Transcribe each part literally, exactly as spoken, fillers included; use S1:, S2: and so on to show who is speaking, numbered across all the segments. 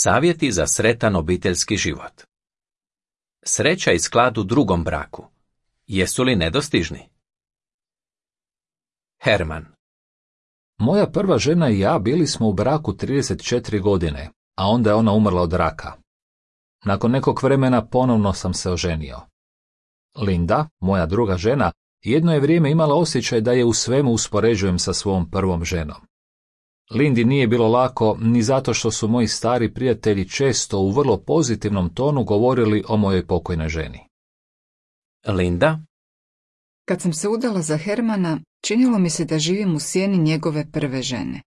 S1: Savjeti za sretan obiteljski život. Sreća i sklad u drugom braku. Jesu li nedostižni? Herman.
S2: Moja prva žena i ja bili smo u braku trideset četiri godine, a onda je ona umrla od raka. Nakon nekog vremena ponovno sam se oženio. Linda, moja druga žena, jedno je vrijeme imala osjećaj da je u svemu uspoređujem sa svom prvom ženom. Lindi nije bilo lako ni zato što su moji stari prijatelji često u vrlo pozitivnom tonu govorili o mojoj pokojnoj ženi.
S1: Linda.
S3: Kad sam se udala za Hermana, činilo mi se da živim u sjeni njegove prve žene.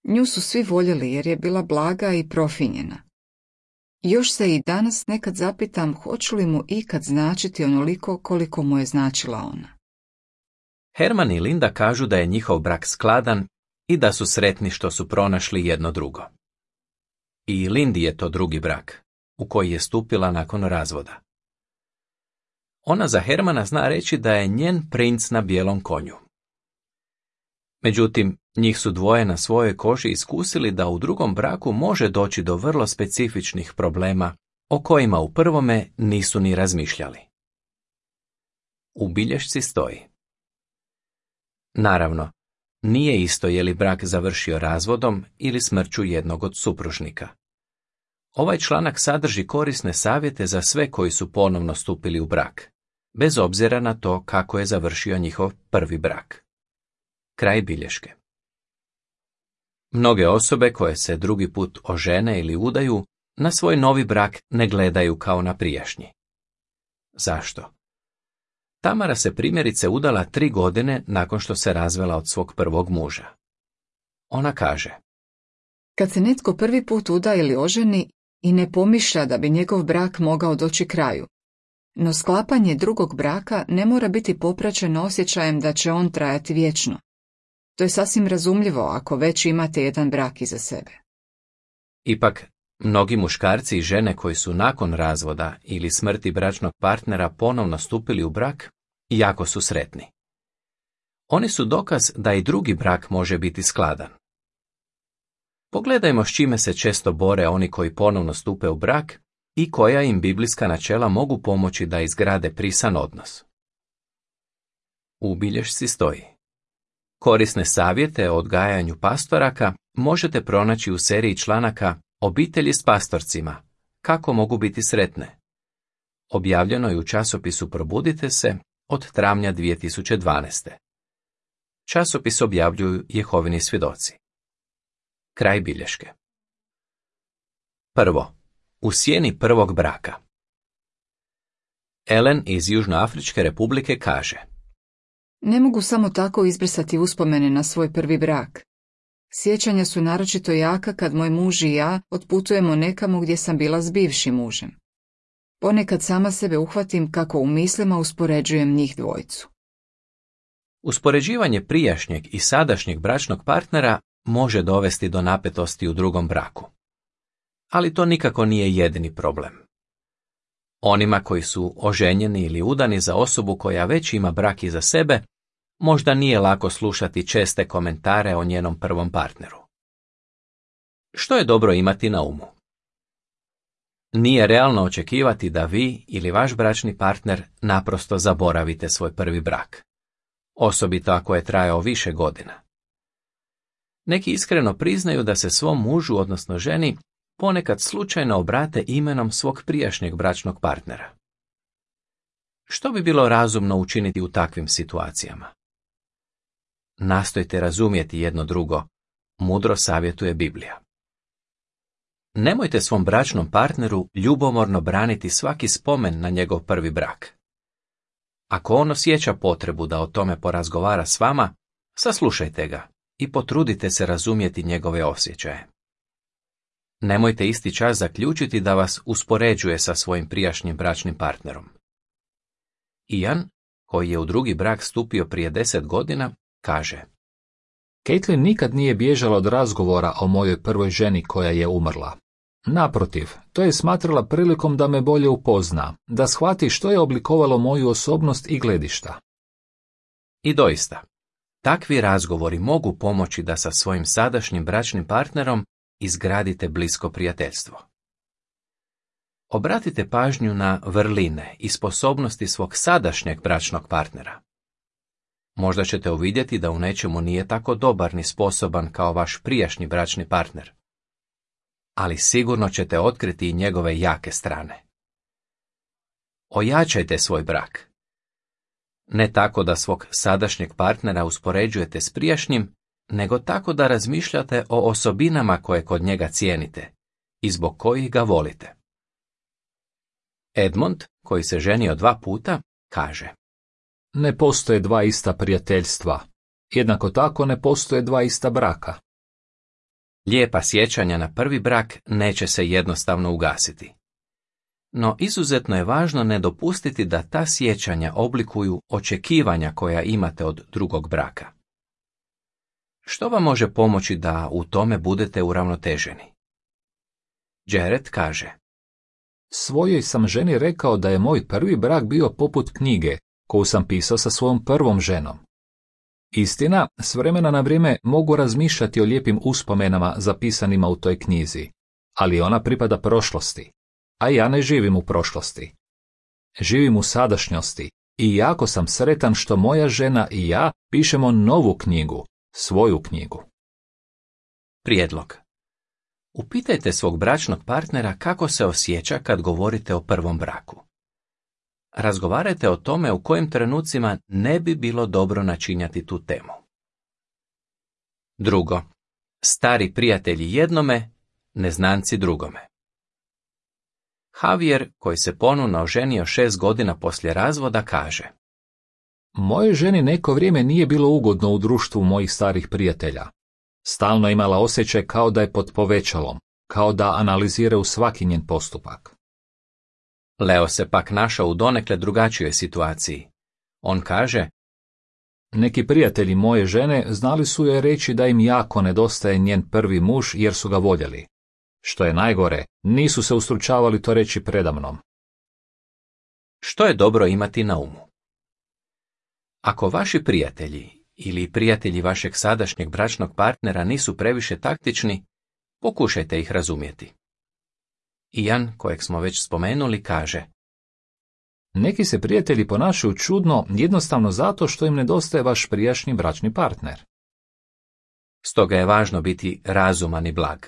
S3: Nju su svi voljeli jer je bila blaga i profinjena. Još se i danas nekad zapitam hoću li mu ikad značiti onoliko koliko mu je značila ona.
S1: Herman i Linda kažu da je njihov brak skladan i da su sretni što su pronašli jedno drugo. I Lindi je to drugi brak, u koji je stupila nakon razvoda. Ona za Hermana zna reći da je njen princ na bijelom konju. Međutim, njih su dvoje na svojoj koži iskusili da u drugom braku može doći do vrlo specifičnih problema o kojima u prvome nisu ni razmišljali. U bilješci stoji: naravno, nije isto je li brak završio razvodom ili smrću jednog od supružnika. Ovaj članak sadrži korisne savjete za sve koji su ponovno stupili u brak, bez obzira na to kako je završio njihov prvi brak. Kraj bilješke. Mnoge osobe koje se drugi put ožene ili udaju, na svoj novi brak ne gledaju kao na prijašnji. Zašto? Tamara se primjerice udala tri godine nakon što se razvela od svog prvog muža. Ona kaže:
S3: kad se netko prvi put uda ili oženi i ne pomišlja da bi njegov brak mogao doći kraju, no sklapanje drugog braka ne mora biti popraćeno osjećajem da će on trajati vječno. To je sasvim razumljivo ako već imate jedan brak iza sebe.
S1: Ipak, mnogi muškarci i žene koji su nakon razvoda ili smrti bračnog partnera ponovno stupili u brak, jako su sretni. Oni su dokaz da i drugi brak može biti skladan. Pogledajmo s čime se često bore oni koji ponovno stupe u brak i koja im biblijska načela mogu pomoći da izgrade prisan odnos. U bilješci stoji: korisne savjete o odgajanju pastoraka možete pronaći u seriji članaka Obitelji s pastorcima, kako mogu biti sretne. Objavljeno je u časopisu Probudite se od travnja dvije tisuće dvanaeste. Časopis objavljuju Jehovini svjedoci. Kraj bilješke. Prvo, u sjeni prvog braka. Ellen iz Južnoafričke republike kaže:
S3: ne mogu samo tako izbrisati uspomene na svoj prvi brak. Sjećanja su naročito jaka kad moj muž i ja otputujemo nekamo gdje sam bila s bivšim mužem. Ponekad sama sebe uhvatim kako u mislima uspoređujem njih dvojicu.
S1: Uspoređivanje prijašnjeg i sadašnjeg bračnog partnera može dovesti do napetosti u drugom braku. Ali to nikako nije jedini problem. Onima koji su oženjeni ili udani za osobu koja već ima brak iza sebe, možda nije lako slušati česte komentare o njenom prvom partneru. Što je dobro imati na umu? Nije realno očekivati da vi ili vaš bračni partner naprosto zaboravite svoj prvi brak, osobito ako je trajao više godina. Neki iskreno priznaju da se svom mužu, odnosno ženi, ponekad slučajno obrate imenom svog prijašnjeg bračnog partnera. Što bi bilo razumno učiniti u takvim situacijama? Nastojte razumjeti jedno drugo, mudro savjetuje Biblija. Nemojte svom bračnom partneru ljubomorno braniti svaki spomen na njegov prvi brak. Ako on osjeća potrebu da o tome porazgovara s vama, saslušajte ga i potrudite se razumjeti njegove osjećaje. Nemojte isti čas zaključiti da vas uspoređuje sa svojim prijašnjim bračnim partnerom. Ian, koji je u drugi brak stupio prije deset godina, kaže:
S2: Caitlin nikad nije bježala od razgovora o mojoj prvoj ženi koja je umrla. Naprotiv, to je smatrala prilikom da me bolje upozna, da shvati što je oblikovalo moju osobnost i gledišta.
S1: I doista, takvi razgovori mogu pomoći da sa svojim sadašnjim bračnim partnerom izgradite blisko prijateljstvo. Obratite pažnju na vrline i sposobnosti svog sadašnjeg bračnog partnera. Možda ćete uvidjeti da u nečemu nije tako dobar ni sposoban kao vaš prijašnji bračni partner. Ali sigurno ćete otkriti i njegove jake strane. Ojačajte svoj brak. Ne tako da svog sadašnjeg partnera uspoređujete s prijašnjim, nego tako da razmišljate o osobinama koje kod njega cijenite i zbog kojih ga volite. Edmond, koji se ženio dva puta, kaže:
S2: Ne postoje dva ista prijateljstva. Jednako tako ne postoje dva ista braka.
S1: Lijepa sjećanja na prvi brak neće se jednostavno ugasiti. No izuzetno je važno ne dopustiti da ta sjećanja oblikuju očekivanja koja imate od drugog braka. Što vam može pomoći da u tome budete uravnoteženi? Jared kaže:
S2: Svojoj sam ženi rekao da je moj prvi brak bio poput knjige koju sam pisao sa svojom prvom ženom. Istina, s vremena na vrijeme mogu razmišljati o lijepim uspomenama zapisanima u toj knjizi, ali ona pripada prošlosti, a ja ne živim u prošlosti. Živim u sadašnjosti i jako sam sretan što moja žena i ja pišemo novu knjigu, svoju knjigu.
S1: Prijedlog. Upitajte svog bračnog partnera kako se osjeća kad govorite o prvom braku. Razgovarajte o tome u kojim trenucima ne bi bilo dobro načinjati tu temu. Drugo. Stari prijatelji jednome, neznanci drugome. Javier, koji se ponovno oženio šest godina poslije razvoda, kaže:
S2: Mojoj ženi neko vrijeme nije bilo ugodno u društvu mojih starih prijatelja. Stalno imala osjećaj kao da je pod povećalom, kao da analizira u svaki njen postupak.
S1: Leo se pak našao u donekle drugačijoj situaciji. On kaže:
S2: Neki prijatelji moje žene znali su joj reći da im jako nedostaje njen prvi muž jer su ga voljeli. Što je najgore, nisu se ustručavali to reći predamnom.
S1: Što je dobro imati na umu? Ako vaši prijatelji ili prijatelji vašeg sadašnjeg bračnog partnera nisu previše taktični, pokušajte ih razumjeti. Ian, kojeg smo već spomenuli, kaže:
S2: Neki se prijatelji ponašaju čudno jednostavno zato što im nedostaje vaš prijašnji bračni partner.
S1: Stoga je važno biti razuman i blag.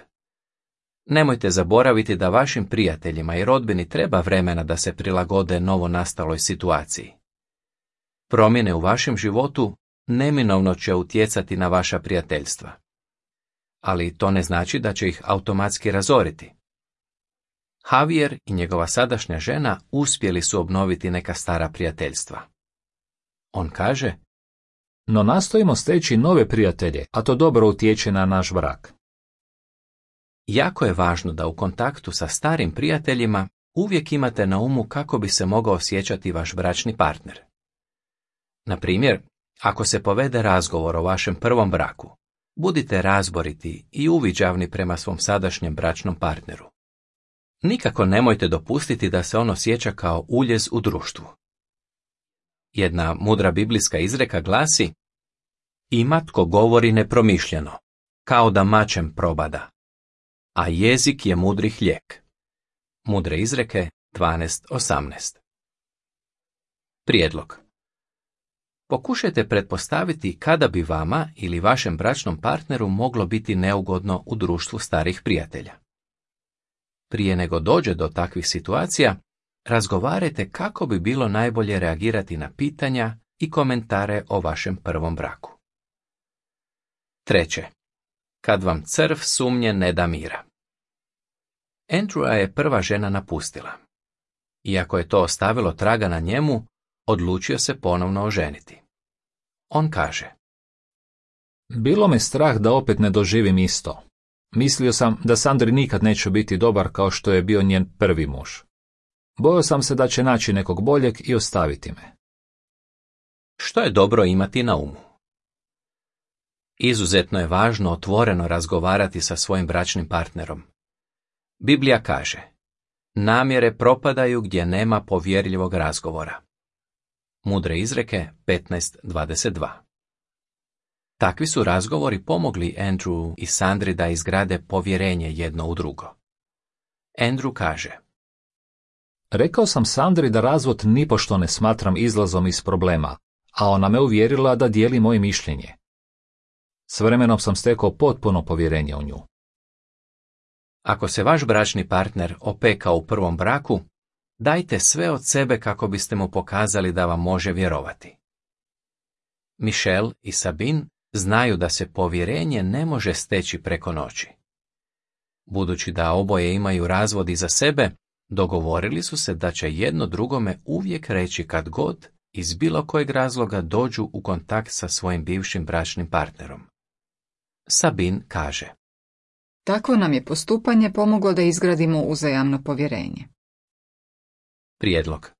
S1: Nemojte zaboraviti da vašim prijateljima i rodbini treba vremena da se prilagode novo nastaloj situaciji. Promjene u vašem životu neminovno će utjecati na vaša prijateljstva. Ali to ne znači da će ih automatski razoriti. Javier i njegova sadašnja žena uspjeli su obnoviti neka stara prijateljstva. On kaže:
S2: No nastojimo steći nove prijatelje, a to dobro utječe na naš brak.
S1: Jako je važno da u kontaktu sa starim prijateljima uvijek imate na umu kako bi se mogao osjećati vaš bračni partner. Na primjer, ako se povede razgovor o vašem prvom braku, budite razboriti i uviđavni prema svom sadašnjem bračnom partneru. Nikako nemojte dopustiti da se on osjeća kao uljez u društvu. Jedna mudra biblijska izreka glasi: Ima tko govori nepromišljeno, kao da mačem probada, a jezik je mudrih lijek. Mudre izreke dvanaest osamnaest. Prijedlog. Pokušajte pretpostaviti kada bi vama ili vašem bračnom partneru moglo biti neugodno u društvu starih prijatelja. Prije nego dođe do takvih situacija, razgovarajte kako bi bilo najbolje reagirati na pitanja i komentare o vašem prvom braku. Treće. Kad vam crv sumnje ne da mira. Andrewa je prva žena napustila. Iako je to ostavilo traga na njemu, odlučio se ponovno oženiti. On kaže:
S2: Bilo me strah da opet ne doživim isto. Mislio sam da Sandri nikad neće biti dobar kao što je bio njen prvi muž. Bojao sam se da će naći nekog boljeg i ostaviti me.
S1: Što je dobro imati na umu? Izuzetno je važno otvoreno razgovarati sa svojim bračnim partnerom. Biblija kaže: namjere propadaju gdje nema povjerljivog razgovora. Mudre izreke petnaest dvadeset dva. Takvi su razgovori pomogli Andrew i Sandri da izgrade povjerenje jedno u drugo. Andrew kaže:
S2: Rekao sam Sandri da razvod nipošto ne smatram izlazom iz problema, a ona me uvjerila da dijeli moje mišljenje. S vremenom sam stekao potpuno povjerenje u nju.
S1: Ako se vaš bračni partner opekao u prvom braku, dajte sve od sebe kako biste mu pokazali da vam može vjerovati. Michelle i Sabine znaju da se povjerenje ne može steći preko noći. Budući da oboje imaju razvod iza sebe, dogovorili su se da će jedno drugome uvijek reći kad god iz bilo kojeg razloga dođu u kontakt sa svojim bivšim bračnim partnerom. Sabine kaže:
S3: Takvo nam je postupanje pomoglo da izgradimo uzajamno povjerenje.
S1: Prijedlog: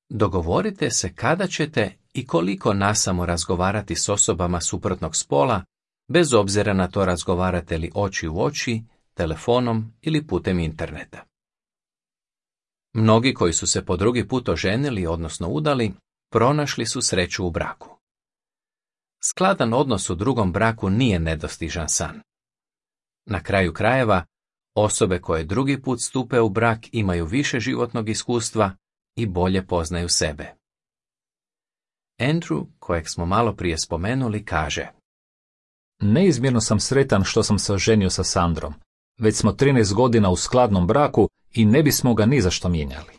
S1: dogovorite se kada ćete i koliko nasamo razgovarati s osobama suprotnog spola, bez obzira na to razgovarate li oči u oči, telefonom ili putem interneta. Mnogi koji su se po drugi put oženili, odnosno udali, pronašli su sreću u braku. Skladan odnos u drugom braku nije nedostižan san. Na kraju krajeva, osobe koje drugi put stupe u brak imaju više životnog iskustva i bolje poznaju sebe. Andrew, kojeg smo malo prije spomenuli, kaže:
S2: Neizmjerno sam sretan što sam se oženio sa Sandrom. Već smo trinaest godina u skladnom braku i ne bismo ga ni za što mijenjali.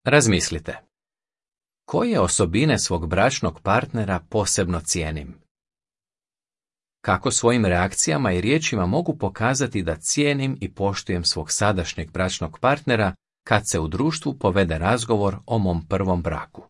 S1: Razmislite. Koje osobine svog bračnog partnera posebno cijenim? Kako svojim reakcijama i riječima mogu pokazati da cijenim i poštujem svog sadašnjeg bračnog partnera kad se u društvu povede razgovor o mom prvom braku?